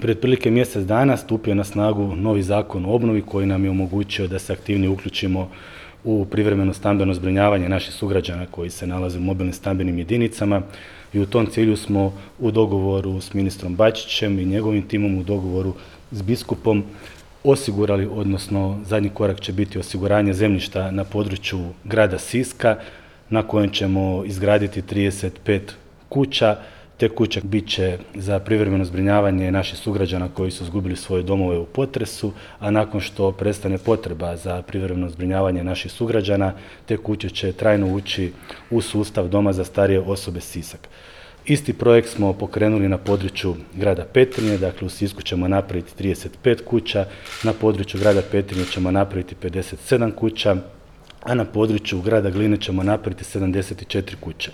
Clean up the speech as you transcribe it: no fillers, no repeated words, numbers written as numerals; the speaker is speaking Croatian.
Pred otprilike mjesec dana stupio je na snagu novi zakon o obnovi koji nam je omogućio da se aktivnije uključimo u privremeno stambeno zbrinjavanje naših sugrađana koji se nalaze u mobilnim stambenim jedinicama i u tom cilju smo u dogovoru s ministrom Bačićem i njegovim timom, u dogovoru s biskupom osigurali, odnosno zadnji korak će biti osiguranje zemljišta na području grada Siska na kojem ćemo izgraditi 35 kuća. Te kuće bit će za privremeno zbrinjavanje naših sugrađana koji su izgubili svoje domove u potresu, a nakon što prestane potreba za privremeno zbrinjavanje naših sugrađana, te kuće će trajno ući u sustav Doma za starije osobe Sisak. Isti projekt smo pokrenuli na području grada Petrinje, dakle u Sisku ćemo napraviti 35 kuća, na području grada Petrinje ćemo napraviti 57 kuća, a na području grada Gline ćemo napraviti 74 kuće.